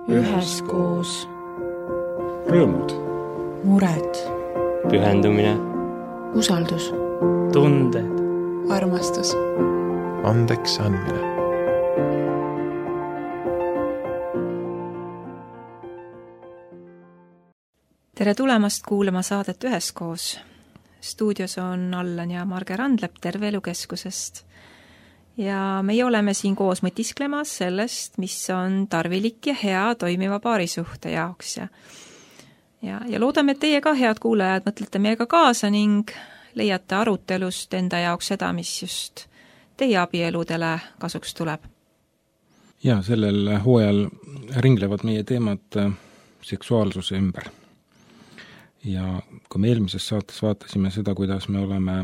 üheskoos. Rõõmud, mured, pühendumine, usaldus, tunded, armastus, andeks andmine. Tere tulemast kuulama saadet Üheskoos. Stuudios on Allan ja Marge Randlep Terve Elu Keskusest. Ja meie oleme siin koos mõtisklemas sellest, mis on tarvilik ja hea toimiva paarisuhte jaoks. Ja loodame, et teie ka, head kuulajad, mõtlete meiega kaasa ning leiate arutelust enda jaoks seda, mis just teie abieludele kasuks tuleb. Ja sellel hooajal ringlevad meie teemad seksuaalsuse ümber. Ja kui me eelmises saates vaatasime seda, kuidas me oleme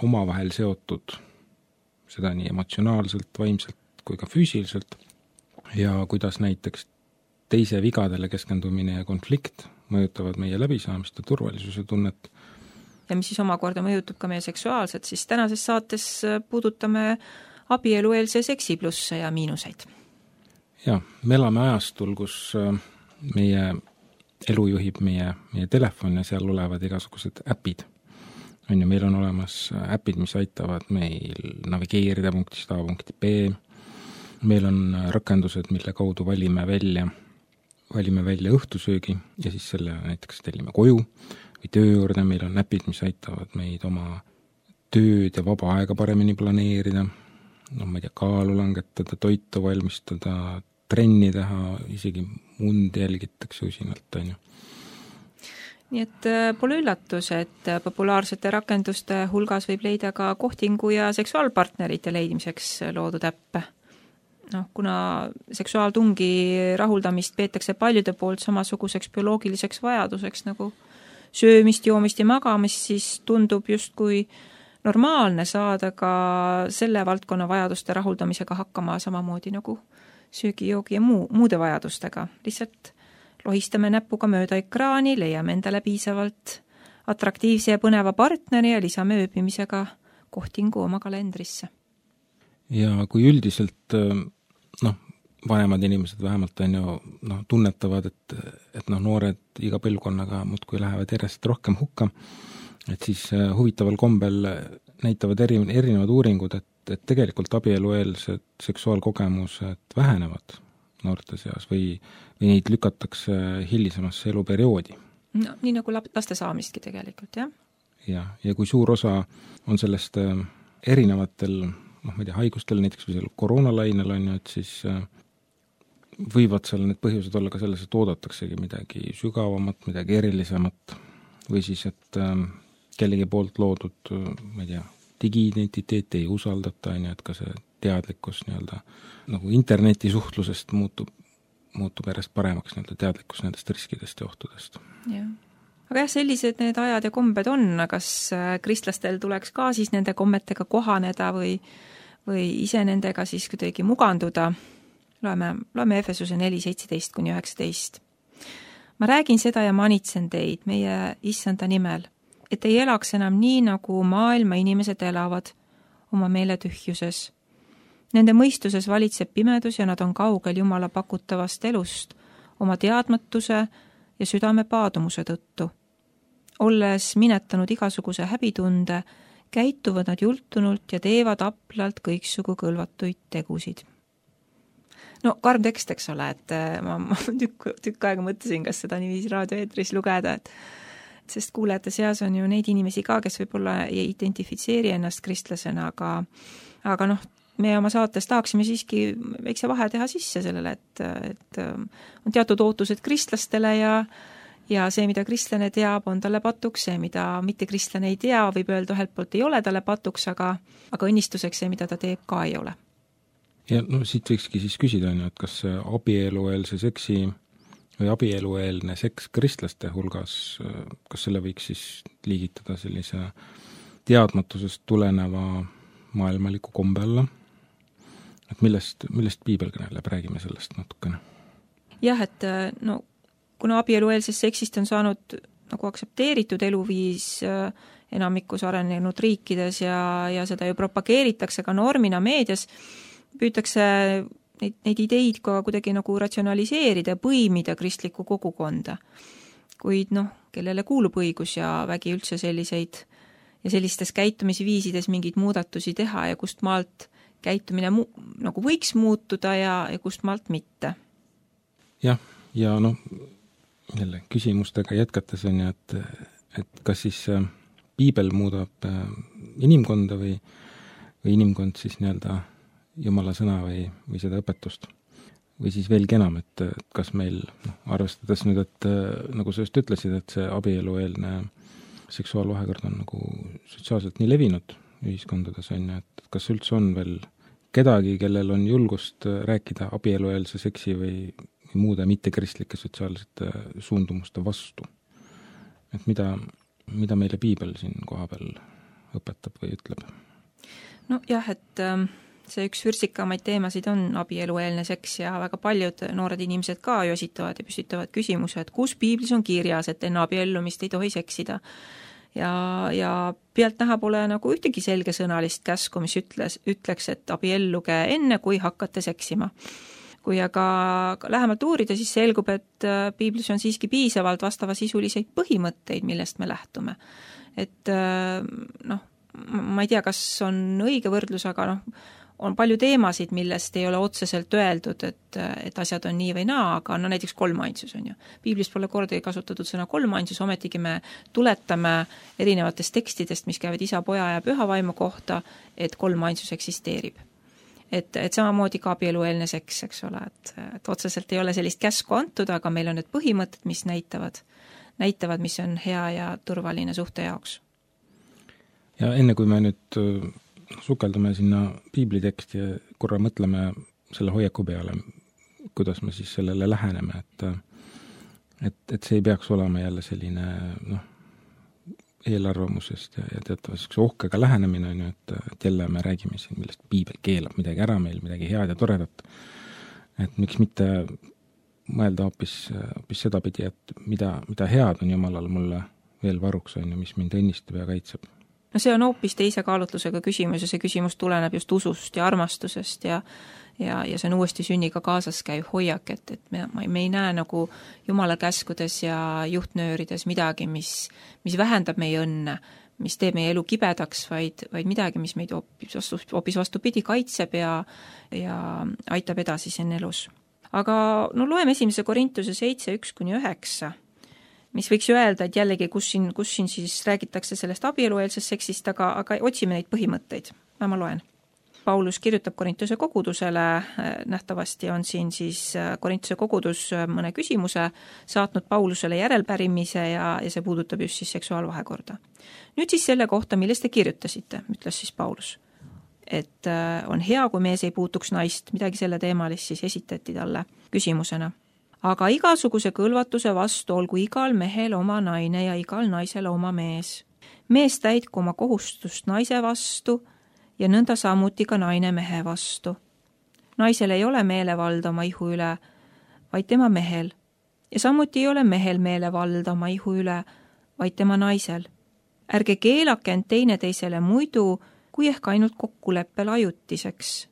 omavahel seotud, seda nii emotsionaalselt, vaimselt kui ka füüsiliselt, ja kuidas näiteks teise vigadele keskendumine ja konflikt mõjutavad meie läbisaamist ja turvalisuse tunnet. Ja mis siis omakorda mõjutab ka meie seksuaalset, siis tänases saates puudutame abielueelse seksi plusse ja miinuseid. Ja, me elame ajastul, kus meie elu juhib meie telefon ja seal olevad igasugused äpid. Meil on olemas äpid, mis aitavad meil navigeerida punktist A punkti B. Meil on rakendused, mille kaudu valime välja õhtusöögi ja siis selle näiteks tellime koju või töö juurde. Meil on äpid, mis aitavad meid oma tööd ja vaba aega paremini planeerida. Ma ei tea, kaalu langetada, toitu valmistada, trenni teha, isegi mund jälgitakse usinalt, on ju. Nii et pole üllatus, et populaarsete rakenduste hulgas võib leida ka kohtingu ja seksuaalpartnerite leidmiseks loodud äppe. Kuna seksuaaltungi rahuldamist peetakse paljude poolt samasuguseks bioloogiliseks vajaduseks nagu söömist, joomist ja magamist, siis tundub justkui normaalne saada ka selle valdkonna vajaduste rahuldamisega hakkama samamoodi nagu söögi, joogi ja muude vajadustega. Lihtsalt lohistame näpuga mööda ekraani, leiame endale piisavalt atraktiivse ja põneva partneri ja lisame ööbimisega kohtingu oma kalendrisse. Ja kui üldiselt vanemad inimesed vähemalt tunnetavad, et noored iga põlvkonnaga muudkui lähevad järjest rohkem hukka, et siis huvitaval kombel näitavad erinevad uuringud, et tegelikult abielueelsed seksuaalkogemused vähenevad noorte seas või neid lükatakse hilisemasse eluperioodi. Nii nagu laste saamistki tegelikult, jah? Ja kui suur osa on sellest erinevatel haigustel, näiteks või koroonalainel on ju, et siis võivad seal need põhjused olla ka selles, et oodataksegi midagi sügavamat, midagi erilisemat või siis, et kellegi poolt loodud, digiidentiteet ei usaldata, et ka see teadlikkus nagu internetisuhtlusest muutub järjest paremaks teadlikkus nendest riskidest ja ohtudest. Ja. Aga sellised need ajad ja kombed on, kas kristlastel tuleks ka siis nende kommetega kohaneda või ise nendega siis kuidagi muganduda? Loeme Efesuse 4:17-19. Ma räägin seda ja manitsen teid meie issanda nimel, et ei elaks enam nii, nagu maailma inimesed elavad oma meeletühjuses. Nende mõistuses valitseb pimedus ja nad on kaugel Jumala pakutavast elust oma teadmatuse ja südame paadumuse tõttu. Olles minetanud igasuguse häbitunde, käituvad nad jultunult ja teevad aplalt kõiksugu kõlvatuid tegusid. Karm tekst, eks ole, et ma tükk aega mõtlesin, kas seda niiviisi raadioeetris lugeda, sest kuulajate seas on ju neid inimesi ka, kes võib-olla ei identifitseeri ennast kristlasena, aga me oma saates tahaksime siiski väikse vahe teha sisse sellele, et on teatud ootused kristlastele ja see, mida kristlane teab, on talle patuks, see, mida mitte kristlane ei tea, võib öelda ühelt poolt ei ole talle patuks, aga õnnistuseks see, mida ta teeb, ka ei ole. Ja siit võikski siis küsida, et kas abielueelse seksi või abielueelne seks kristlaste hulgas, kas selle võiks siis liigitada sellise teadmatusest tuleneva maailmaliku kombe alla? Et millest piibel kõneleb, räägime sellest natukene. Jah, et kuna abielueelsest seksist on saanud nagu aktsepteeritud eluviis enamikus arenenud riikides ja seda ju propageeritakse ka normina meedias, püütakse neid ideid ka kuidagi nagu ratsionaliseerida ja põimida kristlikku kogukonda. Kuid kellele kuulub õigus ja vägi üldse selliseid ja sellistes käitumisviisides mingeid muudatusi teha ja kust maalt käitumine nagu võiks muutuda ja kust maalt mitte. Jah, ja jälle küsimustega jätkates on ju, et kas siis piibel muudab inimkonda või inimkond siis nii-öelda Jumala sõna või seda õpetust. Või siis veelgi enam, et kas meil, arvestades nüüd, et nagu sa just ütlesid, et see abielueelne seksuaalvahekord on nagu sotsiaalselt nii levinud ühiskondades on ju, et kas üldse on veel kedagi, kellel on julgust rääkida abielueelse seksi või muude mittekristlike sotsiaalsete suundumuste vastu. Et mida meile piibel siin koha peal õpetab või ütleb? Jah, et see üks vürtsikamaid teemasid on abielueelne seks ja väga paljud noored inimesed ka ju esitavad ja püstitavad küsimuse, et kus piiblis on kirjas, et enne abiellumist ei tohi seksida. Ja pealtnäha pole nagu ühtegi selgesõnalist käsku, mis ütleks, et abielluge enne, kui hakkate seksima. Kui aga lähemalt uurida, siis selgub, et piiblis on siiski piisavalt vastavasisuliseid põhimõtteid, millest me lähtume. Et ma ei tea, kas on õige võrdlus, aga on palju teemasid, millest ei ole otseselt öeldud, et asjad on nii või naa, aga näiteks kolmainsus on ju. Piiblis pole kordagi kasutatud sõna kolmainsus, ometigi me tuletame erinevatest tekstidest, mis käivad isa, poja ja püha vaimu kohta, et kolmainsus eksisteerib. Et samamoodi ka abielueelne seks, eks ole, et otseselt ei ole sellist käsku antud, aga meil on need põhimõtted, mis näitavad, mis on hea ja turvaline suhte jaoks. Ja enne kui me nüüd sukeldume sinna piibliteksti ja korra mõtleme selle hoiaku peale, kuidas me siis sellele läheneme, et see ei peaks olema jälle selline eelarvamusest ja teatavasti ohkega lähenemine on ju, et jälle me räägime siin, millest piibel keelab midagi ära meil, midagi head ja toredat. Et miks mitte mõelda hoopis sedapidi, et mida head on Jumalal mulle veel varuks on ju, mis mind õnnistab ja kaitseb. See on hoopis teise kaalutlusega küsimus ja see küsimus tuleneb just usust ja armastusest ja see on uuesti sünniga kaasas käiv hoiak, et me ei näe nagu Jumala käskudes ja juhtnöörides midagi, mis vähendab meie õnne, mis teeb meie elu kibedaks, vaid midagi, mis meid hoopis vastupidi kaitseb ja aitab edasi siin elus. Aga loeme 1. Korintuse 7:1-9. mis võiks öelda, et jällegi, kus siin siis räägitakse sellest abielueelsest seksist, aga otsime neid põhimõtteid. Ma loen. Paulus kirjutab Korintuse kogudusele, nähtavasti on siin siis Korintuse kogudus mõne küsimuse saatnud Paulusele järelpärimise ja see puudutab just siis seksuaalvahekorda. Nüüd siis selle kohta, millest te kirjutasite, ütles siis Paulus. Et on hea, kui mees ei puutuks naist, midagi selle teemalist siis esitati talle küsimusena. Aga igasuguse kõlvatuse vastu olgu igal mehel oma naine ja igal naisel oma mees. Mees täitku oma kohustust naise vastu ja nõnda samuti ka naine mehe vastu. Naisel ei ole meelevalda oma ihu üle, vaid tema mehel. Ja samuti ei ole mehel meelevalda oma ihu üle, vaid tema naisel. Ärge keelake end teineteisele muidu, kui ehk ainult kokkuleppel ajutiseks,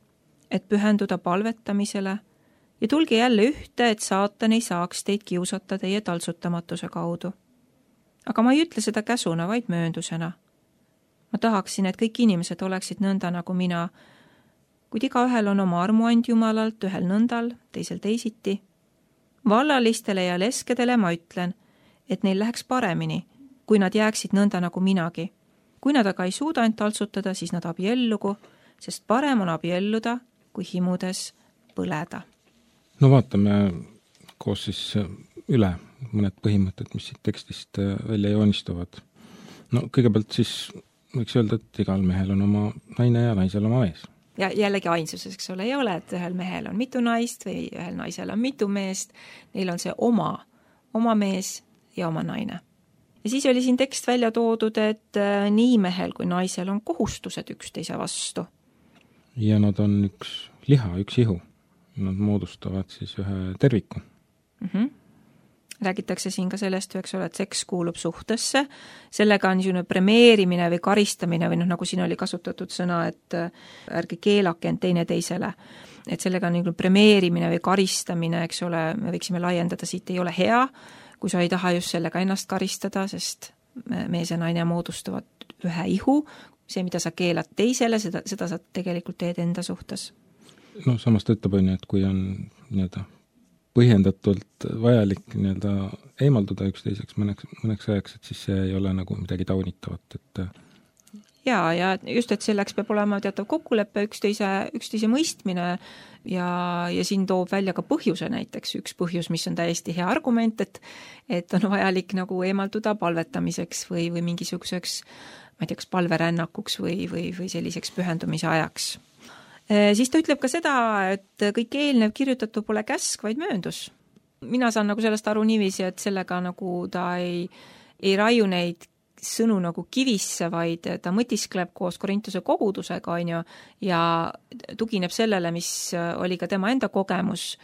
et pühenduda palvetamisele ja tulge jälle ühte, et saatan ei saaks teid kiusata teie taltsutamatuse kaudu. Aga ma ei ütle seda käsuna, vaid mööndusena. Ma tahaksin, et kõik inimesed oleksid nõnda nagu mina, kuid igaühel on oma armuand Jumalalt, ühel nõndal, teisel teisiti. Vallalistele ja leskedele ma ütlen, et neil läheks paremini, kui nad jääksid nõnda nagu minagi. Kui nad aga ei suuda end taltsutada, siis nad abiellugu, sest parem on abielluda, kui himudes põleda. Vaatame koos siis üle mõned põhimõtted, mis siit tekstist välja joonistuvad. Kõigepealt siis võiks öelda, et igal mehel on oma naine ja naisel oma mees. Ja jällegi ainsuses, eks ole, ei ole, et ühel mehel on mitu naist või ühel naisel on mitu meest. Neil on see oma mees ja oma naine. Ja siis oli siin tekst välja toodud, et nii mehel kui naisel on kohustused üksteise vastu. Ja nad on üks liha, üks ihu. Nad moodustavad siis ühe terviku. räägitakse siin ka sellest, eks ole, et seks kuulub suhtesse, sellega on niisugune premeerimine või karistamine või nagu siin oli kasutatud sõna, et ärge keelake end teineteisele. Et sellega on niisugune premeerimine või karistamine, eks ole, me võiksime laiendada, siit ei ole hea, kui sa ei taha just sellega ennast karistada, sest mees ja naine moodustavad ühe ihu, see, mida sa keelad teisele, seda sa tegelikult teed enda suhtes. No samas ta ütleb, et kui on põhjendatult vajalik eemalduda üksteiseks mõneks ajaks, et siis see ei ole nagu midagi taunitavat, et ja just, et selleks peab olema teatav kokkulepe, üksteise mõistmine ja siin toob välja ka põhjuse näiteks, üks põhjus, mis on täiesti hea argument, et on vajalik nagu eemalduda palvetamiseks või mingisuguseks, ma ei tea, kas palverännakuks või selliseks pühendumise ajaks. Siis ta ütleb ka seda, et kõik eelnev kirjutatu pole käsk, vaid mööndus. Mina saan nagu sellest aru niiviisi, et sellega nagu ta ei raiu neid sõnu nagu kivisse, vaid ta mõtiskleb koos Korintuse kogudusega, ja tugineb sellele, mis oli ka tema enda kogemus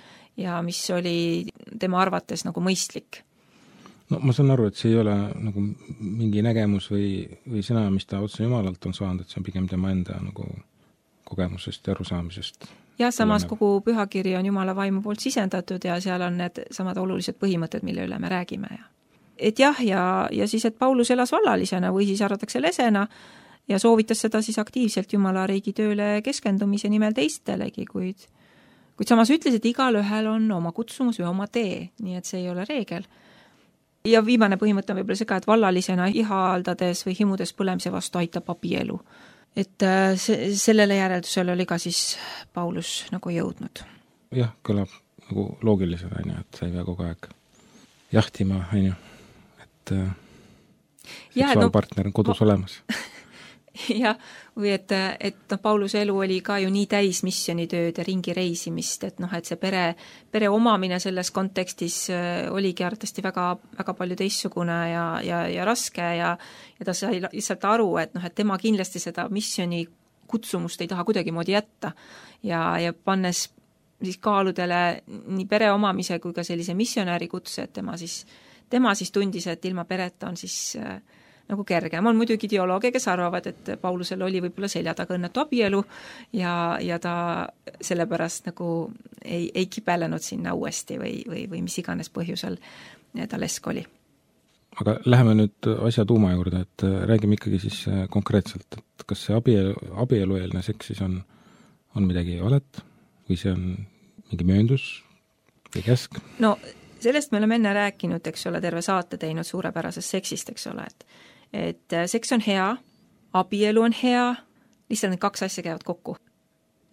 ja mis oli tema arvates nagu mõistlik. No ma saan aru, et see ei ole nagu mingi nägemus või sõna, mis ta otse Jumalalt on saanud, et see on pigem tema enda nagu kogemusest ja arusaamisest. Ja samas kogu pühakiri on Jumala vaimu poolt sisendatud ja seal on need samad olulised põhimõtted, mille üle me räägime. Et jah, ja siis, et Paulus elas vallalisena või siis arvatakse lesena ja soovitas seda siis aktiivselt Jumala riigi tööle keskendumise nimel teistelegi, kuid samas ütles, et igal ühel on oma kutsumus või oma tee, nii et see ei ole reegel. Ja viimane põhimõte on võib-olla see ka, et vallalisena ihaldades või himudes põlemise vastu aitab abielu. Et sellele järeldusele oli ka siis Paulus nagu jõudnud. Jah, kõlab nagu loogilisena, et sa ei pea kogu aeg jahtima, et seksuaalpartner on kodus olemas. Ja, või et Pauluse elu oli ka ju nii täis missionitööd ja ringi reisimist, et see pere omamine selles kontekstis oligi arvatavasti väga, väga palju teistsugune ja raske ja ta sai lihtsalt aru, et tema kindlasti seda missioni kutsumust ei taha kuidagimoodi jätta ja pannes siis kaaludele nii pere omamise kui ka sellise missionääri kutse, et tema siis tundis, et ilma pereta on siis nagu kergem. On muidugi ideoloogia, kes arvavad, et Paulusel oli võib-olla selja taga õnnetu abielu ja ta sellepärast nagu ei kibelenud sinna uuesti või mis iganes põhjusel ta lesk oli. Aga läheme nüüd asja tuuma juurde, et räägime ikkagi siis konkreetselt, et kas see abielueelne seks siis on midagi valet või see on mingi mööndus või käsk? No sellest me oleme enne rääkinud, eks ole, terve saate teinud suurepärasest seksist, eks ole, et seks on hea, abielu on hea, lihtsalt need kaks asja käivad kokku.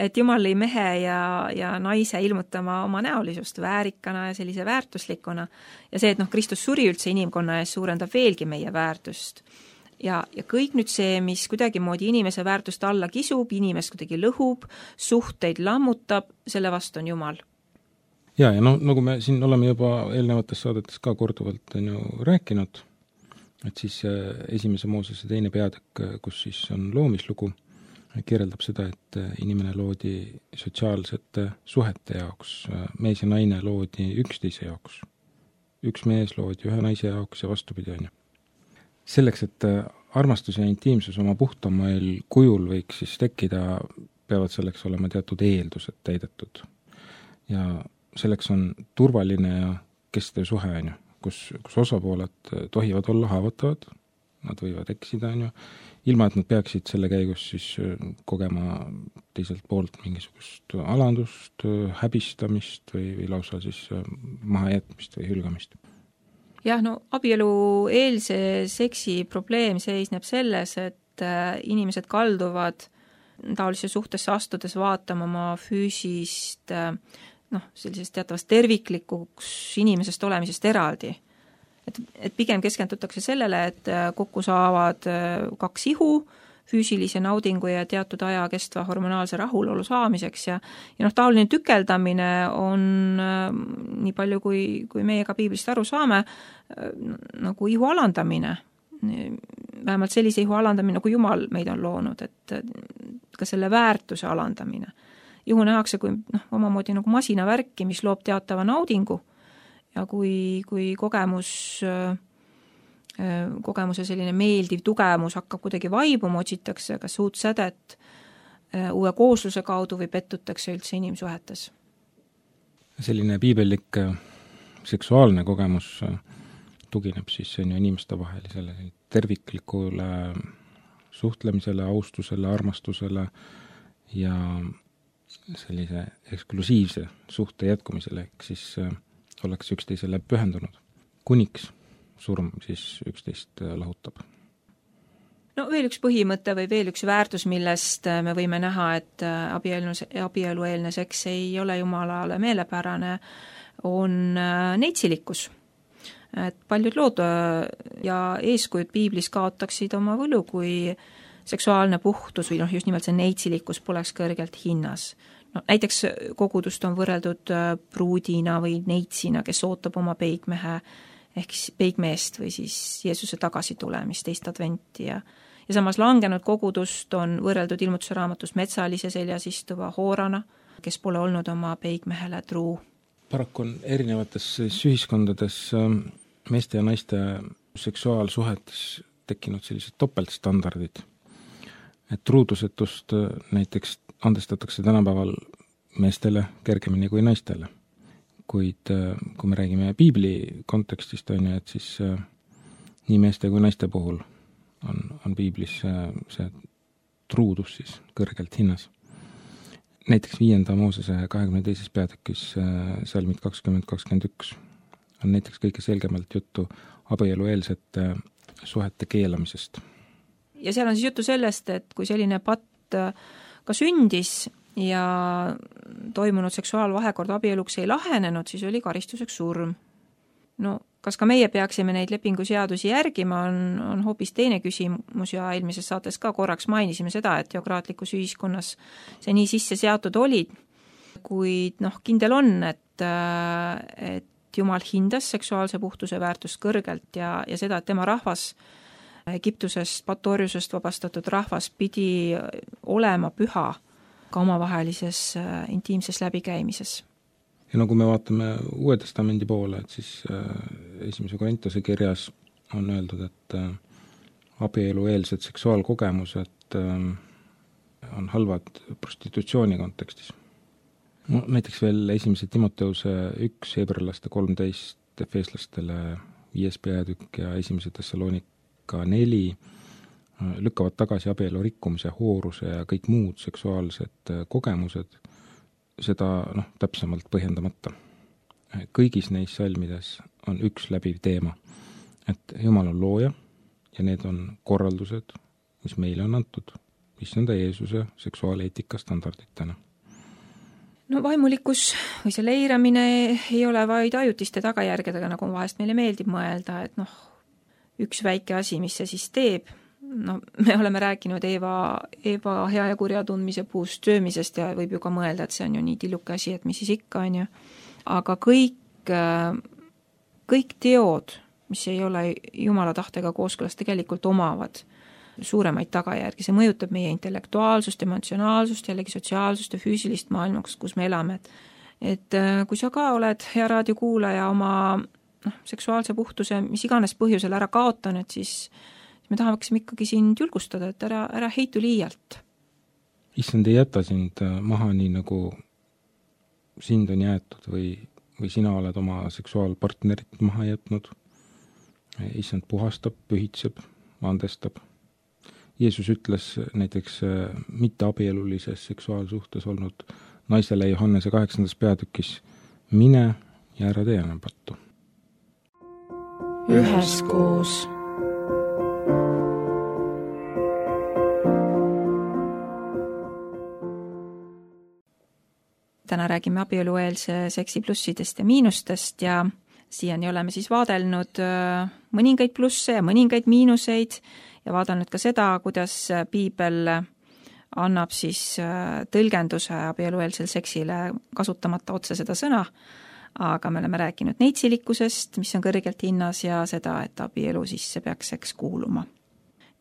Et Jumal lõi mehe ja naise ilmutama oma näolisust väärikana ja sellise väärtuslikuna ja see, et Kristus suri üldse inimkonna ees, suurendab veelgi meie väärtust. Ja kõik nüüd see, mis kuidagimoodi inimese väärtust alla kisub, inimest kuidagi lõhub, suhteid lammutab, selle vastu on Jumal. Ja nagu me siin oleme juba eelnevates saadetes ka korduvalt rääkinud, et siis esimese Moosese 2. peatükk, kus siis on loomislugu, kirjeldab seda, et inimene loodi sotsiaalsete suhete jaoks, mees ja naine loodi üksteise jaoks. Üks mees loodi ühe naise jaoks ja vastupidi . Selleks, et armastus ja intiimsus oma puhtamal kujul võiks siis tekkida, peavad selleks olema teatud eeldused täidetud. Ja selleks on turvaline ja kestev suhe, kus osapooled tohivad olla haavatavad, nad võivad eksida, ilma et nad peaksid selle käigus siis kogema teiselt poolt mingisugust alandust, häbistamist või lausa siis mahajätmist või hülgamist. Jah, abielueelse seksi probleem seisneb selles, et inimesed kalduvad taolise suhtesse astudes vaatama oma füüsist sellisest teatavast terviklikuks inimesest olemisest eraldi. Et pigem keskendutakse sellele, et kokku saavad kaks ihu, füüsilise naudingu ja teatud aja kestva hormonaalse rahulolu saamiseks ja taoline tükeldamine on nii palju, kui meie ka piiblist aru saame, nagu ihu alandamine. Vähemalt sellise ihu alandamine, nagu Jumal meid on loonud, et ka selle väärtuse alandamine. Ihu nähakse kui omamoodi nagu masinavärki, mis loob teatava naudingu ja kui kogemuse selline meeldiv tugevus hakkab kuidagi vaibuma, otsitakse kas uut sädet uue koosluse kaudu või pettutakse üldse inimsuhetes. Selline piibellik seksuaalne kogemus tugineb siis inimeste vahelisele terviklikule suhtlemisele, austusele, armastusele ja sellise eksklusiivse suhte jätkumisele, ehk siis ollakse üksteisele pühendunud. Kuniks surm siis üksteist lahutab. No veel üks põhimõte või veel üks väärtus, millest me võime näha, et abielueelne seks ei ole Jumalale meelepärane, on neitsilikkus. Et paljud lood ja eeskujud piiblis kaotaksid oma võlu, kui seksuaalne puhtus või just nimelt see neitsilikkus poleks kõrgelt hinnas. No, näiteks kogudust on võrreldud pruudina või neitsina, kes ootab oma peigmehe ehk peigmeest või siis Jeesuse tagasitulemist, teist adventi ja samas langenud kogudust on võrreldud Ilmutuse raamatus metsalise seljas istuva hoorana, kes pole olnud oma peigmehele truu. Paraku on erinevates ühiskondades meeste ja naiste seksuaalsuhetes tekkinud sellised topeltstandardid. Et truudusetust näiteks andestatakse tänapäeval meestele kergemini kui naistele. Kuid kui me räägime piibli kontekstist, et siis nii meeste kui naiste puhul on piiblis see truudus siis kõrgelt hinnas. Näiteks 5. Moosese 22. peatükis salmid 20-21 on näiteks kõige selgemalt juttu abielueelsete suhete keelamisest. Ja seal on siis juttu sellest, et kui selline patt ka sündis ja toimunud seksuaalvahekord abieluks ei lahenenud, siis oli karistuseks surm. No, kas ka meie peaksime neid lepinguseadusi järgima, on hoopis teine küsimus ja eelmises saates ka korraks mainisime seda, et teokraatlikus ühiskonnas see nii sisse seatud olid, kuid kindel on, et Jumal hindas seksuaalse puhtuse väärtust kõrgelt ja seda, et tema rahvas, Egiptusest, patorjusest vabastatud rahvas pidi olema püha ka omavahelises intiimses läbikäimises. Ja kui me vaatame Uue Testamendi poole, et siis 1. Korintuse kirjas on öeldud, et abielueelsed seksuaalkogemused on halvad prostitutsiooni kontekstis. No, näiteks veel 1. Timoteuse 1, Hebralaste 13, Efeslastele 5. peatükk ja 1. Thessalonika 4 lükkavad tagasi abielu rikkumise, hooruse ja kõik muud seksuaalsed kogemused, seda täpsemalt põhjendamata. Kõigis neis salmides on üks läbiv teema, et Jumal on looja ja need on korraldused, mis meile on antud, issanda Jeesuse seksuaaleetika standarditena. No vaimulikkus või see leiramine ei ole vaid ajutiste tagajärgedega, nagu vahest meile meeldib mõelda, et üks väike asi, mis see siis teeb. Me oleme rääkinud Eeva hea ja kurja tundmise puust söömisest ja võib ju ka mõelda, et see on ju nii tilluke asi, et mis siis ikka on ju. Aga kõik teod, mis ei ole Jumala tahtega kooskõlas, tegelikult omavad suuremaid tagajärgi. See mõjutab meie intellektuaalsust, emotsionaalsust, jällegi sotsiaalsust ja füüsilist maailma, kus me elame. Et kui sa ka oled hea raadiokuulaja oma seksuaalse puhtuse, mis iganes põhjusel ära kaotanud, siis me tahaksime ikkagi sind julgustada, et ära heitu liialt. Issand ei jäta sind maha nii, nagu sind on jäetud või sina oled oma seksuaalpartnerit maha jätnud. Issand puhastab, pühitseb, andestab. Jeesus ütles näiteks mitte abielulises seksuaalsuhtes olnud naisele Johannese 8. peatükis, mine ja ära tee enam pattu. Üheskoos. Täna räägime abielueelse seksi plussidest ja miinustest ja siiani oleme siis vaadelnud mõningaid plusse ja mõningaid miinuseid ja vaadanud ka seda, kuidas piibel annab siis tõlgenduse abielueelsel seksile kasutamata otse seda sõna, aga me oleme rääkinud neitsilikkusest, mis on kõrgelt hinnas ja seda, et abielu sisse peaks seks kuuluma.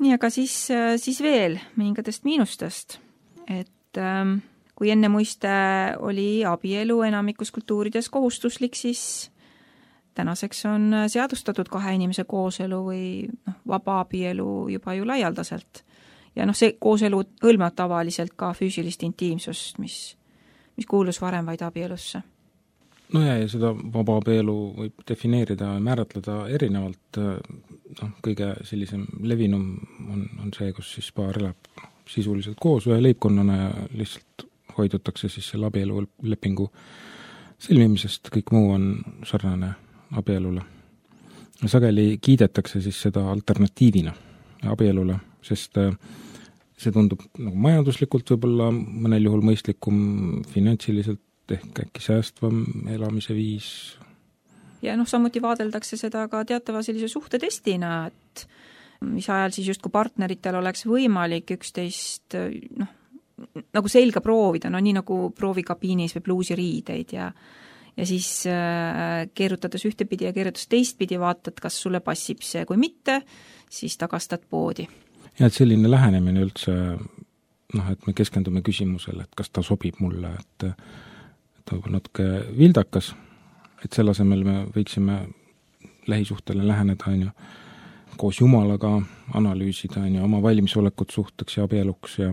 Nii, aga siis veel mõningatest miinustest, et kui enne muiste oli abielu enamikus kultuurides kohustuslik, siis tänaseks on seadustatud 2 inimese kooselu või vaba abielu juba ju laialdaselt. Ja see kooselu hõlmab tavaliselt ka füüsilist intiimsust, mis kuulus varem vaid abielusse. No ja seda vaba abielu võib defineerida ja määratleda erinevalt. Kõige sellisem levinum on see, kus siis paar elab sisuliselt koos ühe leibkonnana ja lihtsalt hoidutakse siis selle abielulepingu sõlmimisest, kõik muu on sarnane abielule. Sageli kiidetakse siis seda alternatiivina abielule, sest see tundub nagu majanduslikult võib-olla mõnel juhul mõistlikum, finantsiliselt ehk äkki säästvam elamise viis. Ja samuti vaadeldakse seda ka teatava sellise suhtetestina, et mis ajal siis justkui partneritel oleks võimalik üksteist nagu selga proovida, nii nagu proovikabiinis või bluusiriideid ja siis keerutades ühtepidi ja keerutades teistpidi vaatad, kas sulle passib see, kui mitte, siis tagastad poodi. Ja et selline lähenemine üldse, et me keskendume küsimusele, et kas ta sobib mulle, et ta on natuke vildakas, et selle asemel me võiksime lähisuhtele läheneda, koos Jumalaga analüüsida, oma valmisolekut suhteks ja abieluks ja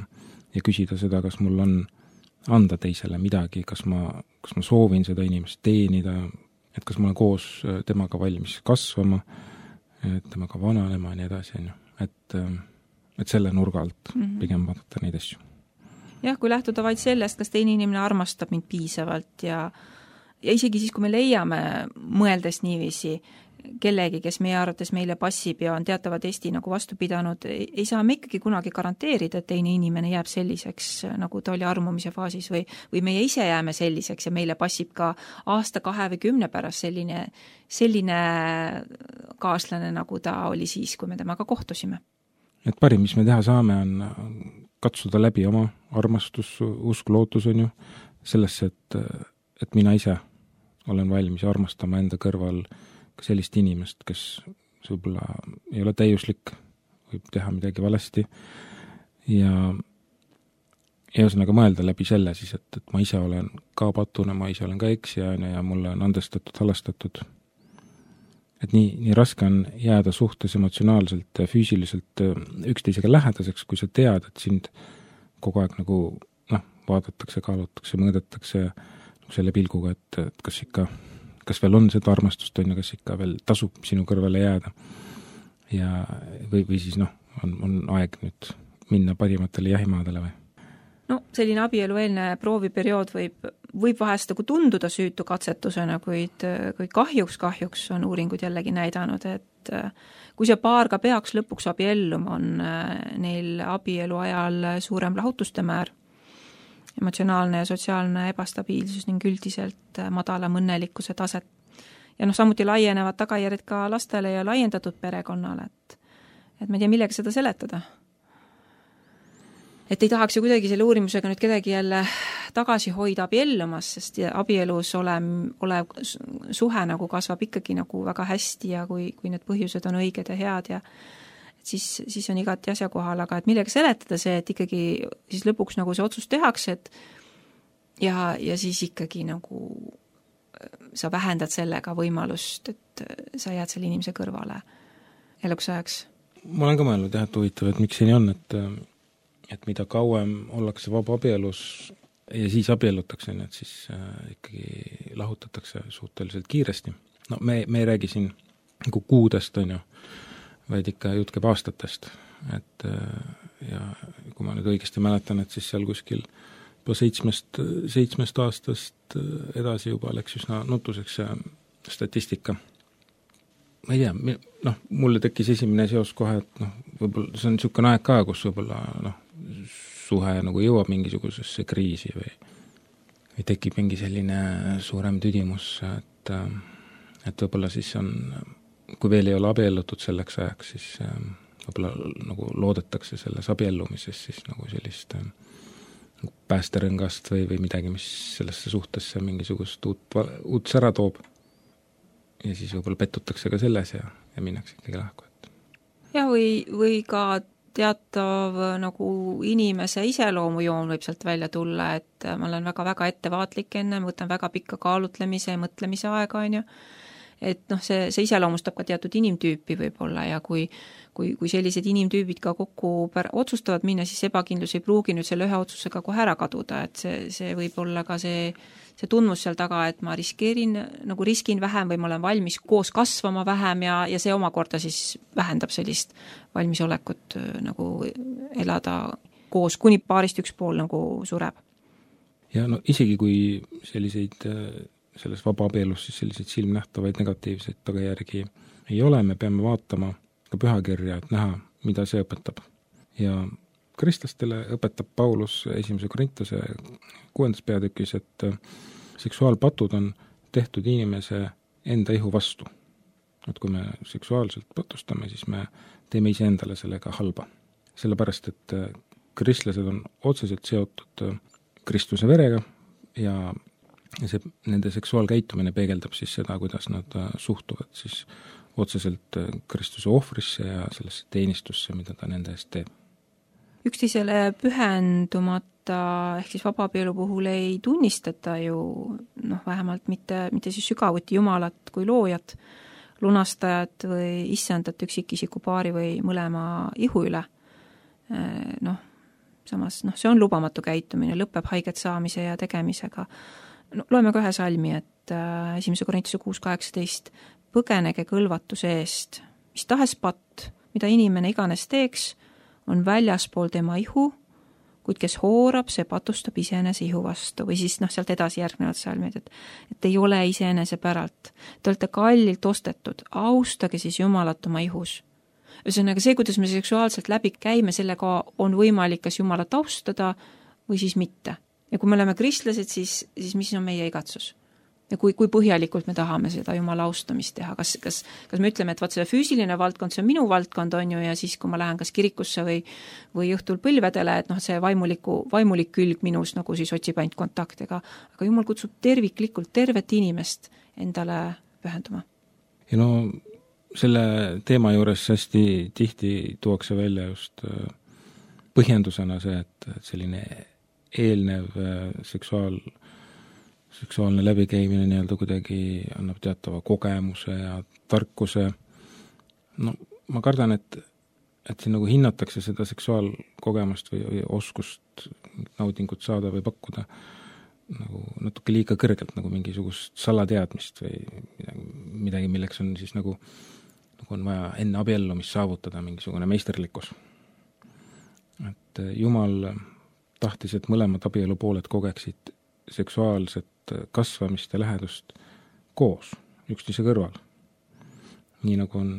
küsida seda, kas mul on anda teisele midagi, kas ma soovin seda inimest teenida, et kas ma olen koos temaga valmis kasvama, temaga vananema ja nii edasi, et selle nurga alt pigem vaadata neid asju. Jah, kui lähtuda vaid sellest, kas teine inimene armastab mind piisavalt ja isegi siis, kui me leiame mõeldes niiviisi kellegi, kes meie arvates meile passib ja on teatava testi nagu vastu pidanud, ei saa me ikkagi kunagi garanteerida, et teine inimene jääb selliseks, nagu ta oli armumise faasis või meie ise jääme selliseks ja meile passib ka aasta, 2 või 10 pärast selline kaaslane, nagu ta oli siis, kui me temaga kohtusime. Et parim, mis me teha saame, on katsuda läbi oma armastus, usk, lootus on ju sellesse, et mina ise olen valmis armastama enda kõrval ka sellist inimest, kes võib-olla ei ole täiuslik, võib teha midagi valesti ja ühesõnaga mõelda läbi selle siis, et ma ise olen ka patune, ma ise olen ka eksija ja mulle on andestatud, halastatud. Et nii raske on jääda suhtes emotsionaalselt ja füüsiliselt üksteisega lähedaseks, kui sa tead, et sind kogu aeg nagu vaadatakse, kaalutakse, mõõdetakse selle pilguga, et kas veel on seda armastust, kas ikka veel tasub sinu kõrvale jääda. Ja või siis on aeg nüüd minna parimatele jahimaadele või? Selline abielueelne prooviperiood võib vahest nagu tunduda süütu katsetusena, kuid kahjuks on uuringud jällegi näidanud, et kui see paar ka peaks lõpuks abielluma, on neil abielu ajal suurem lahutuste määr, emotsionaalne ja sotsiaalne ebastabiilsus ning üldiselt madalam õnnelikkuse taset. Ja samuti laienevad tagajärjed ka lastele ja laiendatud perekonnale, et ma ei tea, millega seda seletada. Et ei tahaks ju kuidagi selle uurimusega nüüd kedagi jälle tagasi hoida abiellumas, sest abielus olev suhe nagu kasvab ikkagi nagu väga hästi ja kui need põhjused on õiged ja head ja siis on igati asjakohal, aga et millega seletada see, et ikkagi siis lõpuks nagu see otsus tehakse, et ja siis ikkagi nagu sa vähendad sellega võimalust, et sa jääd selle inimese kõrvale eluks ajaks. Ma olen ka mõelnud jah, et huvitav, et miks see nii on, et mida kauem ollakse vaba abielus ja siis abiellutakse, et siis ikkagi lahutatakse suhteliselt kiiresti. Me ei räägi siin nagu kuudest, on ju, vaid ikka jutt käib aastatest. Ja kui ma nüüd õigesti mäletan, et siis seal kuskil juba 7 aastast edasi juba läks üsna nutuseks statistika. Ma ei tea, mulle tekkis esimene seos kohe, et võib-olla see on niisugune aeg ka, kus võib-olla suhe nagu jõuab mingisugusesse kriisi või tekib mingi selline suurem tüdimus, et võib-olla siis on, kui veel ei ole abiellutud selleks ajaks, siis võib-olla nagu loodetakse selles abiellumises siis nagu sellist päästerõngast või midagi, mis sellesse suhtesse mingisugust uut sära toob. Ja siis võib-olla pettutakse ka selles ja minnakse ikkagi lahku. Ja või ka teatav nagu inimese iseloomujoon võib sealt välja tulla, et ma olen väga-väga ettevaatlik enne, võtan väga pikka kaalutlemise ja mõtlemise aega, on ju. et noh, see iseloomustab ka teatud inimtüüpi võib-olla ja kui sellised inimtüübid ka kokku otsustavad minna, siis ebakindlus ei pruugi nüüd selle ühe otsusega kohe ära kaduda, et see võib olla ka see tundmus seal taga, et ma riskin vähem või ma olen valmis koos kasvama vähem ja see omakorda siis vähendab sellist valmisolekut nagu elada koos, kuni paarist üks pool nagu sureb. Ja no isegi kui selles vabaabielus siis selliseid silmnähtavaid negatiivseid tagajärgi ei ole, me peame vaatama ka pühakirja, et näha, mida see õpetab. Ja kristlastele õpetab Paulus 1. Korintuse 6. peatükis, et seksuaalpatud on tehtud inimese enda ihu vastu. Et kui me seksuaalselt patustame, siis me teeme iseendale sellega halba. Sellepärast, et kristlased on otseselt seotud Kristuse verega ja nende seksuaalkäitumine peegeldab siis seda, kuidas nad suhtuvad siis otseselt Kristuse ohvrisse ja sellesse teenistusse, mida ta nende eest teeb. Üksteisele pühendumata ehk siis vabaabielu puhul ei tunnistata ju vähemalt mitte siis sügavuti Jumalat kui loojat, lunastajat või issandat üksikisiku paari või mõlema ihu üle. Samas see on lubamatu käitumine, lõpeb haiget saamise ja tegemisega. Loeme ka ühe salmi, et 1. Korintuse 6.18 põgenege kõlvatuse eest, mis tahes patt, mida inimene iganes teeks, on väljaspool tema ihu, kuid kes hoorab, see patustab iseenese ihu vastu või siis sealt edasi järgnevad salmid, et ei ole iseenese päralt. Te olete kallilt ostetud, austage siis Jumalat oma ihus. Ühesõnaga see, kuidas me seksuaalselt läbi käime, sellega on võimalik kas Jumalat austada või siis mitte. Ja kui me oleme kristlased, siis mis on meie igatsus? Ja kui põhjalikult me tahame seda Jumala austamist teha, kas me ütleme, et see füüsiline valdkond, see on minu valdkond, on ju, ja siis kui ma lähen kas kirikusse või õhtul põlvedele, et see vaimulik külg minus nagu siis otsib ainult kontaktega, aga Jumal kutsub terviklikult tervet inimest endale pühenduma. Ja selle teema juures hästi tihti tuuakse välja just põhjendusena see, et selline eelnev seksuaalne läbikäimine nii-öelda kuidagi annab teatava kogemuse ja tarkuse. Ma kardan, et siin nagu hinnatakse seda seksuaalkogemust või oskust naudingut saada või pakkuda nagu natuke liiga kõrgelt, nagu mingisugust salateadmist või midagi, milleks on siis nagu on vaja enne abiellumist saavutada mingisugune meisterlikkus. Et Jumal tahtis, et mõlemad abielupooled kogeksid seksuaalset kasvamist ja lähedust koos, üksteise kõrval. Nii nagu on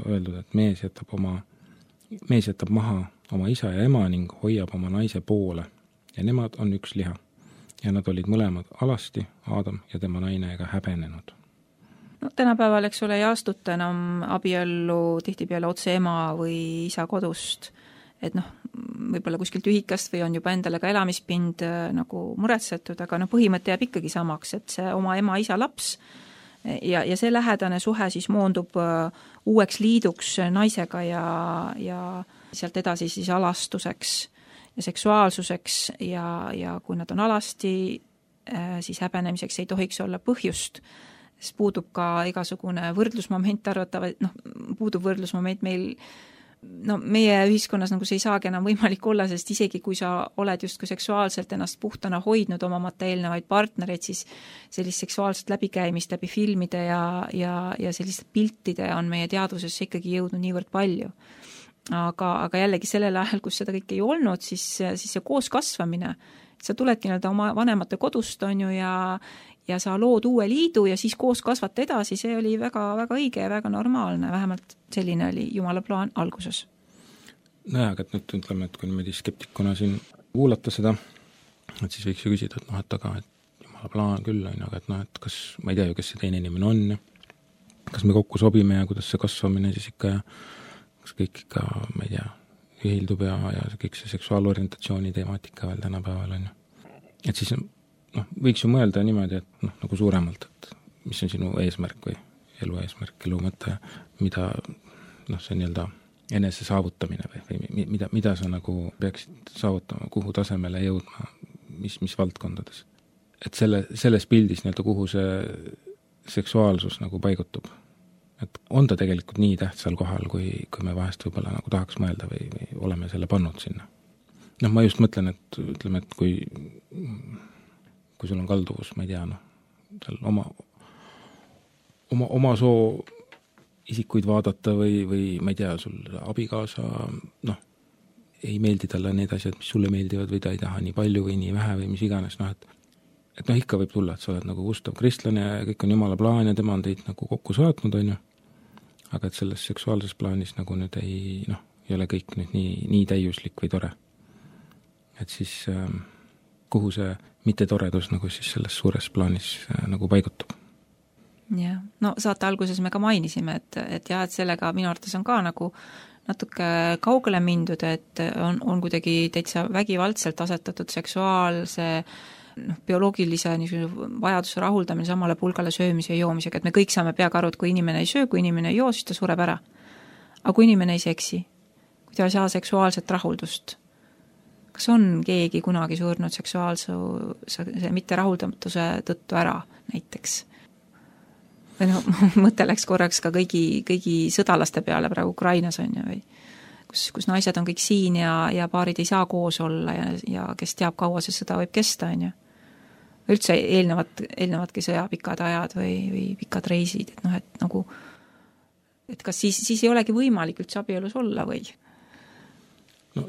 öeldud, et mees jätab maha oma isa ja ema ning hoiab oma naise poole ja nemad on üks liha. Ja nad olid mõlemad alasti, Aadam ja tema naine ega häbenenud. Tänapäeval, eks ole, ei astuta enam abiellu tihtipeale otse ema või isa kodust, et võib-olla kuskilt ühikast või on juba endale ka elamispind nagu muretsetud, aga põhimõte jääb ikkagi samaks, et see oma ema-isa laps ja see lähedane suhe siis moondub uueks liiduks naisega ja sealt edasi siis alastuseks ja seksuaalsuseks ja kui nad on alasti, siis häbenemiseks ei tohiks olla põhjust, siis puudub ka igasugune võrdlusmoment puudub võrdlusmoment meie ühiskonnas see ei saagi enam võimalik olla, sest isegi kui sa oled justkui seksuaalselt ennast puhtana hoidnud omamata eelnevaid partnereid, siis sellist seksuaalset läbikäimist läbi filmide ja selliste piltide on meie teadvusesse ikkagi jõudnud niivõrd palju. Aga jällegi sellel ajal, kus seda kõik ei olnud, siis see koos kasvamine, sa tuledki oma vanemate kodust, on ju, ja sa lood uue liidu ja siis koos kasvata edasi, see oli väga, väga õige ja väga normaalne, vähemalt selline oli Jumala plaan alguses. Aga nüüd ütleme, et kui niimoodi skeptikuna siin kuulata seda, et siis võiks ju küsida, et Jumala plaan küll on, aga et kas, ma ei tea ju, kes see teine inimene on ja kas me kokku sobime ja kuidas see kasvamine siis ikka ja kas kõik ikka, ma ei tea, ühildub ja kõik see seksuaalorientatsiooni temaatika veel tänapäeval on. Et siis võiks ju mõelda niimoodi, et nagu suuremalt, et mis on sinu eesmärk või elu eesmärk, elu mõte, mida see nii-öelda enese saavutamine või mida sa nagu peaksid saavutama, kuhu tasemele jõudma, mis valdkondades. Et selles pildis nii-öelda, kuhu seksuaalsus nagu paigutub. Et on ta tegelikult nii tähtsal kohal, kui me vahest võib-olla nagu tahaks mõelda või oleme selle pannud sinna. Noh, ma just mõtlen, et ütleme, et kui sul on kalduvus, ma ei tea, seal oma soo isikuid vaadata või ma ei tea, sul abikaasa, ei meeldi talle need asjad, mis sulle meeldivad või ta ei taha nii palju või nii vähe või mis iganes, et ikka võib tulla, et sa oled nagu Gustav kristlane ja kõik on Jumala plaan ja tema on teid nagu kokku saatnud, on ju. Aga et selles seksuaalses plaanis nagu nüüd ei ole kõik nüüd nii täiuslik või tore. Et siis kuhu see mittetoredus nagu siis selles suures plaanis nagu paigutub. Jah, saate alguses me ka mainisime, et sellega minu arvates on ka nagu natuke kaugele mindud, et on kuidagi täitsa vägivaldselt asetatud seksuaalse bioloogilise vajaduse rahuldamine samale pulgale söömise ja joomisega, et me kõik saame peaga aru, et kui inimene ei söö, kui inimene ei joo, siis ta sureb ära. Aga kui inimene ei seksi, kui ta ei saa seksuaalset rahuldust, kas on keegi kunagi surnud seksuaalse mitterahuldamatuse tõttu ära näiteks? Või mõte läks korraks ka kõigi sõdalaste peale praegu Ukrainas on ju, või kus naised on kõik siin ja paarid ei saa koos olla ja kes teab, kaua see sõda võib kesta, on ju. Üldse eelnevatki sõja pikad ajad või pikad reisid, et kas siis ei olegi võimalik üldse abielus olla või?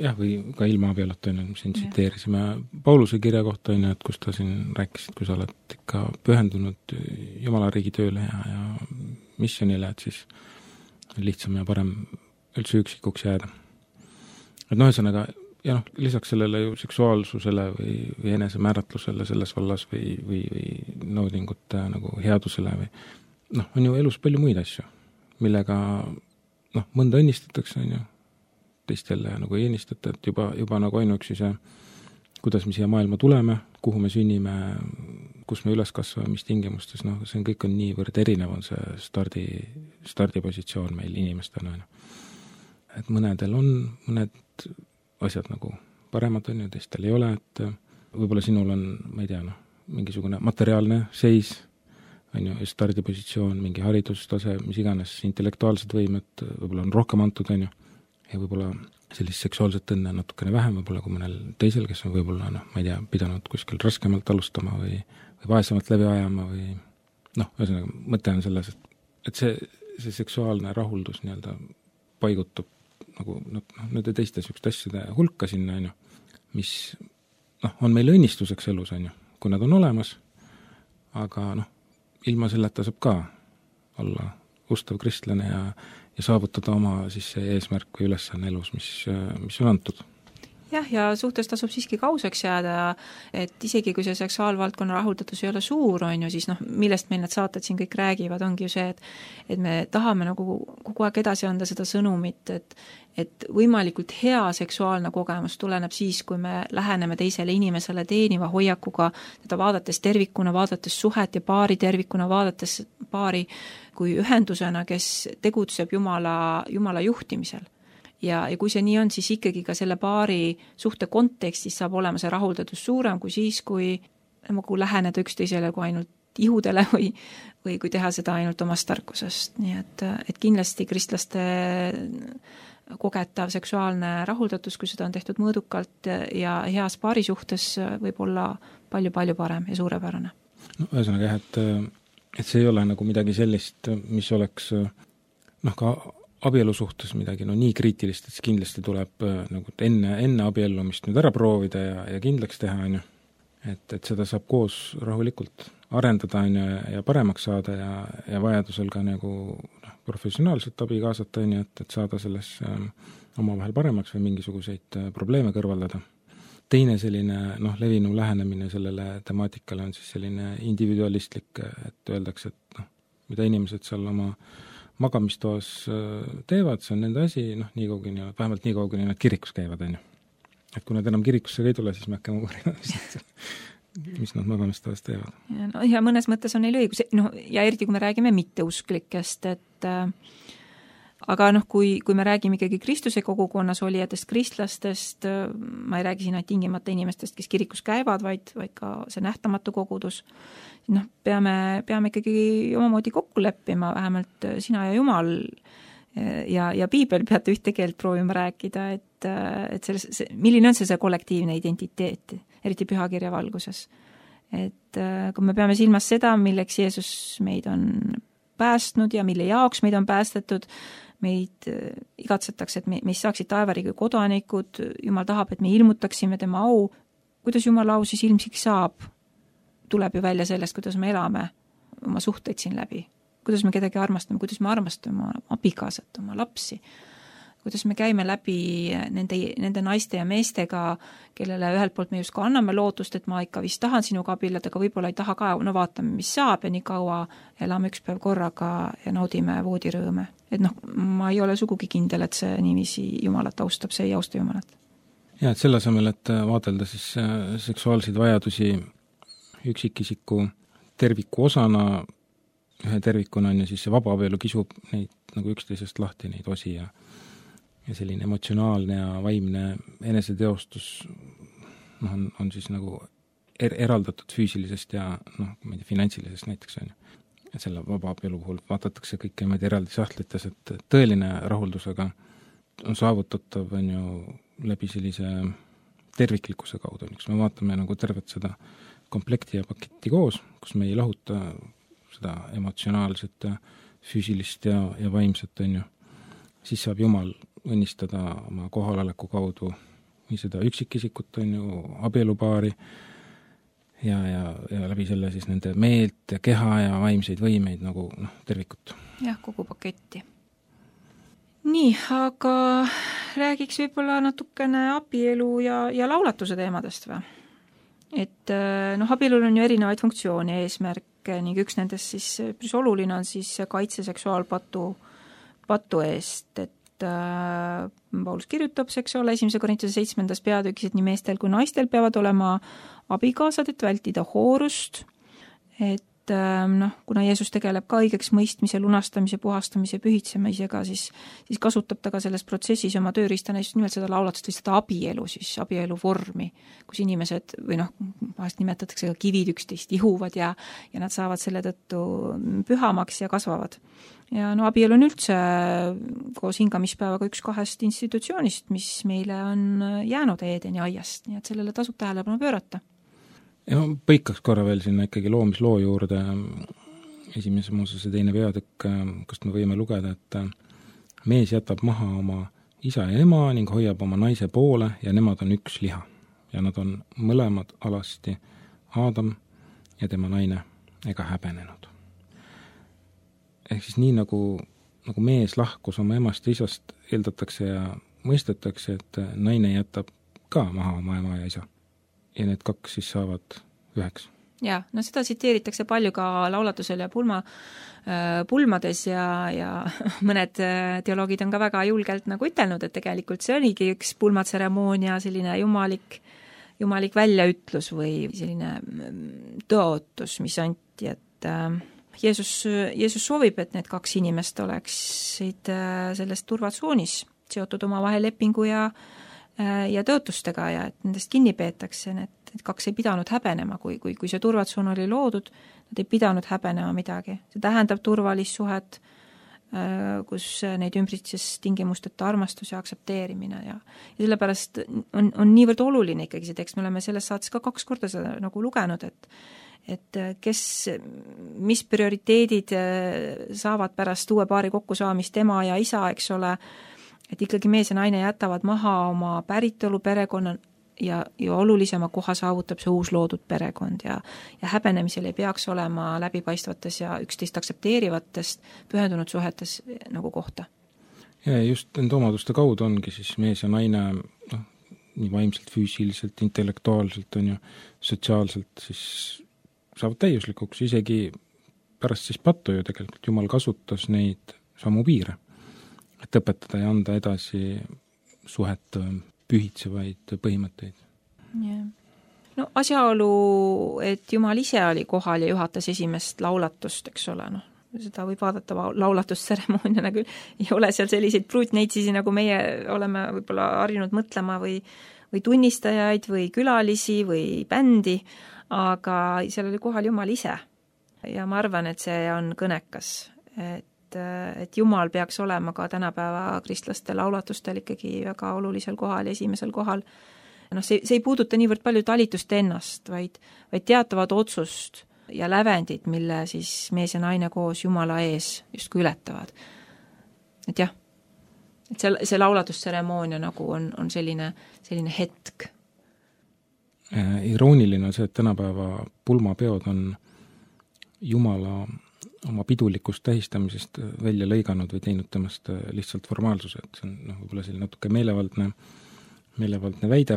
Jah, või ka ilma abielust on, siin tsiteerisime Pauluse kirja kohta, on, et kus ta siin rääkis, et kui sa oled ikka pühendunud Jumala riigi tööle ja missionile, et siis on lihtsam ja parem üldse üksikuks jääda. Et ühesõnaga, ja lisaks sellele ju seksuaalsusele või enesemääratlusele selles vallas või naudingute nagu headusele või on ju elus palju muid asju, millega mõnda õnnistatakse, on ju, teistele nagu ei ennistata, et juba nagu ainuüksi see, kuidas me siia maailma tuleme, kuhu me sünnime, kus me üles kasvame, mis tingimustes, see kõik on niivõrd erinev, on see stardipositsioon meil inimestena. Et mõnedel on mõned asjad nagu paremad on ju, teistel ei ole, et võib-olla sinul on, ma ei tea, mingisugune materiaalne seis, on ju, stardipositsioon, mingi haridustase, mis iganes, intellektuaalsed võimed võib-olla on rohkem antud, on ju, ja võib-olla sellist seksuaalset õnne natukene vähem, võib-olla kui mõnel teisel, kes on võib-olla, ma ei tea, pidanud kuskil raskemalt alustama või vaesemalt läbi ajama või ühesõnaga, mõte on selles, et see seksuaalne rahuldus nii-öelda paigutub nagu nende teiste sükste asjade hulka sinna, on ju, mis on meil õnnistuseks elus, on ju, kui nad on olemas, aga ilma selleta saab ka olla ustav kristlane ja saavutada oma siis see eesmärk või ülesanne elus, mis on antud. Jah, ja suhtes tasub siiski kauseks jääda, et isegi kui see seksuaalvaldkonna rahuldatus ei ole suur, on ju, siis millest meil need saated siin kõik räägivad, ongi ju see, et me tahame nagu kogu aeg edasi anda seda sõnumit, et võimalikult hea seksuaalne kogemus tuleneb siis, kui me läheneme teisele inimesele teeniva hoiakuga, teda vaadates tervikuna, vaadates suhet ja paari tervikuna, vaadates paari kui ühendusena, kes tegutseb Jumala juhtimisel. Ja kui see nii on, siis ikkagi ka selle paari suhte kontekstis saab olema see rahuldatus suurem kui siis, kui läheneda üksteisele kui ainult ihudele või kui teha seda ainult omast tarkusest. Nii et kindlasti kristlaste kogetav seksuaalne rahuldatus, kui seda on tehtud mõõdukalt ja heas paari suhtes, võib olla palju-palju parem ja suurepärane. Ühesõnaga jah, et see ei ole nagu midagi sellist, mis oleks ka abielu suhtes midagi nii kriitilist, et see kindlasti tuleb nagu enne abiellumist nüüd ära proovida ja kindlaks teha, on ju. Et seda saab koos rahulikult arendada, on ju, ja paremaks saada ja vajadusel ka nagu professionaalset abi kaasata, on ju, et saada selles omavahel paremaks või mingisuguseid probleeme kõrvaldada. Teine selline levinu lähenemine sellele temaatikale on siis selline individualistlik, et öeldakse, et mida inimesed seal oma magamistoas teevad, see on nende asi, vähemalt nii kaugeni nad kirikus käivad, on ju. Et kui nad enam kirikusse ei tule, siis me hakkame uurima, mis nad magamistoas teevad. Ja mõnes mõttes on neil õigus, ja eriti kui me räägime mitteusklikest, et aga kui me räägime ikkagi Kristuse kogukonnas olijatest, kristlastest, ma ei räägi siin ainult tingimata inimestest, kes kirikus käivad, vaid ka see nähtamatu kogudus, peame ikkagi omamoodi kokku leppima, vähemalt sina ja Jumal ja Piibel peate ühte keelt proovima rääkida, et milline on see kollektiivne identiteet, eriti pühakirja valguses. Et kui me peame silmas seda, milleks Jeesus meid on päästnud ja mille jaoks meid on päästetud, meid igatsetakse, et meist saaksid taevariigi kodanikud, Jumal tahab, et me ilmutaksime tema au. Kuidas Jumala au siis ilmsiks saab? Tuleb ju välja sellest, kuidas me elame oma suhteid siin läbi. Kuidas me kedagi armastame, kuidas me armastame oma abikaasat, oma lapsi. Kuidas me käime läbi nende naiste ja meestega, kellele ühelt poolt me just ka anname lootust, et ma ikka vist tahan sinuga abiellada, aga võib-olla ei taha ka, vaatame, mis saab ja nii kaua elame üks päev korraga ja naudime voodirõõme. Et ma ei ole sugugi kindel, et see niiviisi Jumalat austab, see ei austa Jumalat. Ja, et selle asemel, et vaadelda siis seksuaalseid vajadusi üksikisiku terviku osana, ühe tervikuna on ju siis see vabaabielu kisub neid nagu üksteisest lahti neid osi ja selline emotsionaalne ja vaimne eneseteostus on siis nagu eraldatud füüsilisest ja ma ei tea, finantsilisest näiteks on ju. Et selle vabaabielu puhul vaadatakse kõike meid eraldi sahtlites, et tõeline rahuldusega on saavutatav on ju läbi sellise terviklikkuse kaudu, kus me vaatame nagu tervet seda komplekti ja paketti koos, kus me ei lahuta seda emotsionaalset ja füüsilist ja vaimset on ju. Siis saab Jumal õnnistada oma kohaloleku kaudu või seda üksikisikut on ju abielupaari ja läbi selle siis nende meelt ja keha ja vaimseid võimeid nagu tervikut. Jah, kogu paketti. Nii, aga räägiks võib-olla natukene abielu ja laulatuse teemadest või? Et abielul on ju erinevaid funktsioone ja eesmärke ning üks nendest siis päris oluline on siis kaitse seksuaalpatu eest, et Paulus kirjutab, eks ole, 1. Korintuse 7. peatükis, et nii meestel kui naistel peavad olema abikaasad, et vältida hoorust, et kuna Jeesus tegeleb ka õigeks mõistmise, lunastamise, puhastamise, pühitsemisega, siis kasutab ta ka selles protsessis oma tööriistana just nimelt seda laulatust või seda abielu, siis abielu vormi, kus inimesed või vahest nimetatakse ka kivid üksteist ihuvad ja nad saavad selle tõttu pühamaks ja kasvavad. Ja abielu on üldse koos hingamispäevaga üks 2 institutsioonist, mis meile on jäänud Eedeni aiast, nii et sellele tasub tähelepanu pöörata. Ja põikaks korra veel sinna ikkagi loomisloo juurde, 1. Moosese 2. peatükk, kust me võime lugeda, et mees jätab maha oma isa ja ema ning hoiab oma naise poole ja nemad on üks liha. Ja nad on mõlemad alasti Aadam ja tema naine ega häbenenud. Ehk siis nii nagu mees lahkus oma emast ja isast, eeldatakse ja mõistetakse, et naine jätab ka maha oma ema ja isa. Ja need 2 siis saavad üheks. Jaa, seda tsiteeritakse palju ka laulatusel ja pulmades ja mõned teoloogid on ka väga julgelt nagu ütelnud, et tegelikult see oligi üks pulmatseremoonia, selline jumalik väljaütlus või selline tõotus, mis anti, et Jeesus soovib, et need 2 inimest oleksid selles turvatsoonis seotud omavahel lepingu ja tõotustega ja et nendest kinni peetakse, need 2 ei pidanud häbenema, kui see turvatsoon oli loodud, nad ei pidanud häbenema midagi. See tähendab turvalist suhet, kus neid ümbritses tingimusteta armastus ja aksepteerimine ja sellepärast on niivõrd oluline ikkagi see tekst, me oleme selles saates ka 2 korda seda nagu lugenud, et mis prioriteedid saavad pärast uue paari kokkusaamist ema ja isa, eks ole, et ikkagi mees ja naine jätavad maha oma päritolu perekonna ja olulisema koha saavutab see uus loodud perekond ja häbenemisel ei peaks olema läbipaistvates ja üksteist aktsepteerivatest pühendunud suhetes nagu kohta. Ja just nende omaduste kaudu ongi siis mees ja naine nii vaimselt, füüsiliselt, intellektuaalselt on ju, sotsiaalselt siis saavad täiuslikuks, isegi pärast siis pattu ju tegelikult Jumal kasutas neid samu piire, et õpetada ja anda edasi suhet pühitsevaid põhimõtteid. Yeah. Asjaolu, et Jumal ise oli kohal ja juhatas esimest laulatust, eks ole, seda võib vaadata laulatusteremooniana küll, ei ole seal selliseid pruutneitsisi, nagu meie oleme võib-olla harjunud mõtlema või tunnistajaid või külalisi või bändi, aga seal oli kohal Jumal ise. Ja ma arvan, et see on kõnekas, et Jumal peaks olema ka tänapäeva kristlaste laulatustel ikkagi väga olulisel kohal ja esimesel kohal. See ei puuduta niivõrd palju talitust ennast, vaid teatavad otsust ja lävendid, mille siis mees ja naine koos Jumala ees justkui ületavad. Et jah, et see laulatusteremoonia nagu on selline hetk. Irooniline on see, et tänapäeva pulmapeod on Jumala oma pidulikust tähistamisest välja lõiganud või teinud temast lihtsalt formaalsuse, et see on võib-olla selline natuke meelevaldne väide,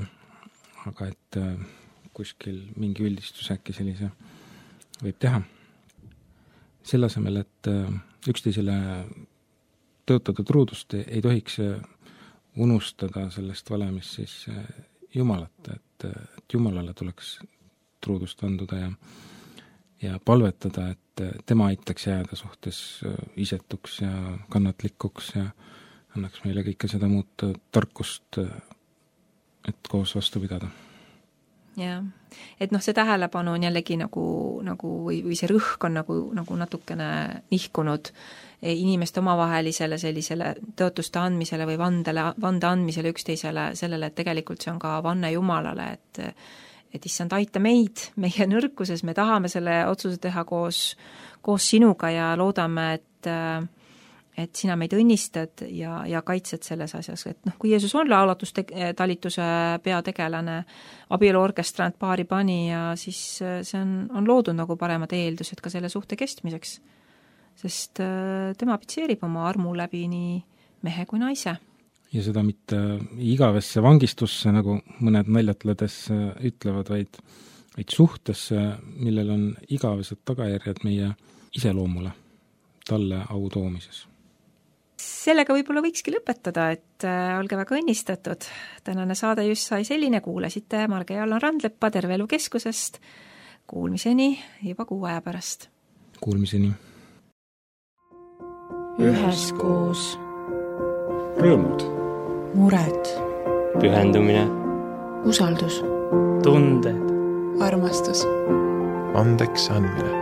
aga et kuskil mingi üldistus äkki sellise võib teha. Selle asemel, et üksteisele tõotada truudust ei tohiks unustada sellest valemist siis Jumalat, et Jumalale tuleks truudust anduda ja palvetada, et tema aitaks jääda suhtes isetuks ja kannatlikuks ja annaks meile kõike seda muud tarkust, et koos vastu pidada. Jah, et see tähelepanu on jällegi nagu või see rõhk on nagu natukene nihkunud inimeste omavahelisele sellisele tõotuste andmisele või vande andmisele üksteisele, sellele, et tegelikult see on ka vanne Jumalale, et issand, aita meid meie nõrkuses, me tahame selle otsuse teha koos sinuga ja loodame, et sina meid õnnistad ja kaitsed selles asjas, et kui Jeesus on laulatustalituse peategelane, abieluorkestrant paari pani ja siis see on loodud nagu paremad eeldused ka selle suhte kestmiseks, sest tema pitseerib oma armu läbi nii mehe kui naise. Ja seda mitte igavesse vangistusse, nagu mõned naljatledes ütlevad, vaid suhtesse, millel on igavesed tagajärjed meie iseloomule, talle au toomises. Sellega võib-olla võikski lõpetada, et olge väga õnnistatud. Tänane saade just sai selline, kuulasite Marge ja Allan Randleppa Terve Elu Keskusest. Kuulmiseni juba 6 aja pärast. Kuulmiseni. Üheskoos. Rõõmud. Mured. Pühendumine. Usaldus. Tunded. Armastus. Andeks andmine.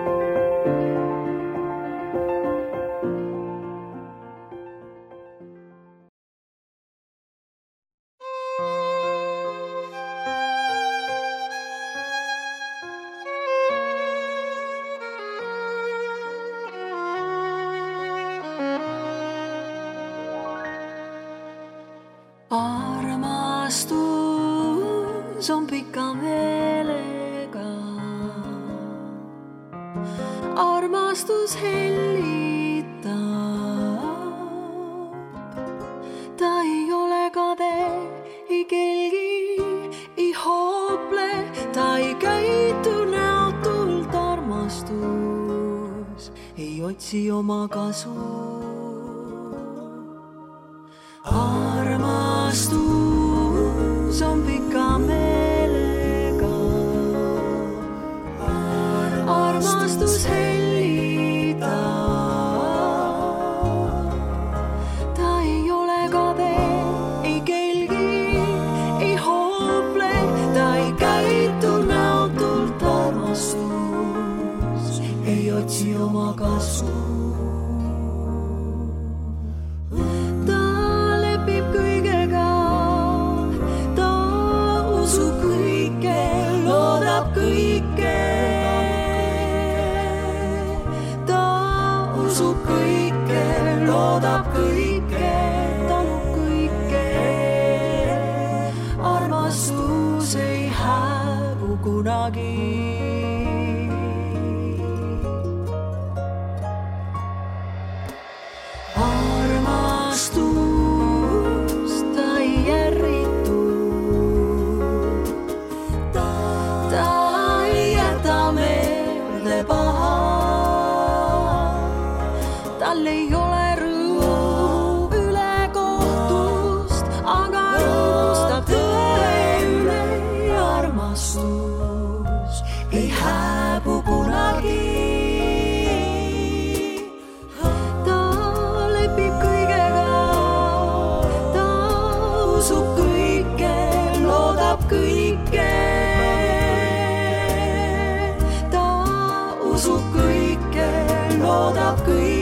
Armastus on pika meelega, armastus hellitab, ta ei ole kade, ei kelgi, ei hoople, ta ei käitu näotult, armastus ei otsi oma kasu. Armastus on pika meelega, armastus hellitab, ta ei ole kade, ei kelgi, ei hoople, ta ei käitu näotult, armastus ei otsi oma kasu. Loodab kõike, talub kõike, armastus ei hääbu kunagi. Armastus ta ei järritu, ta ei jäta meelde paha, tal ei ole loodab kõik.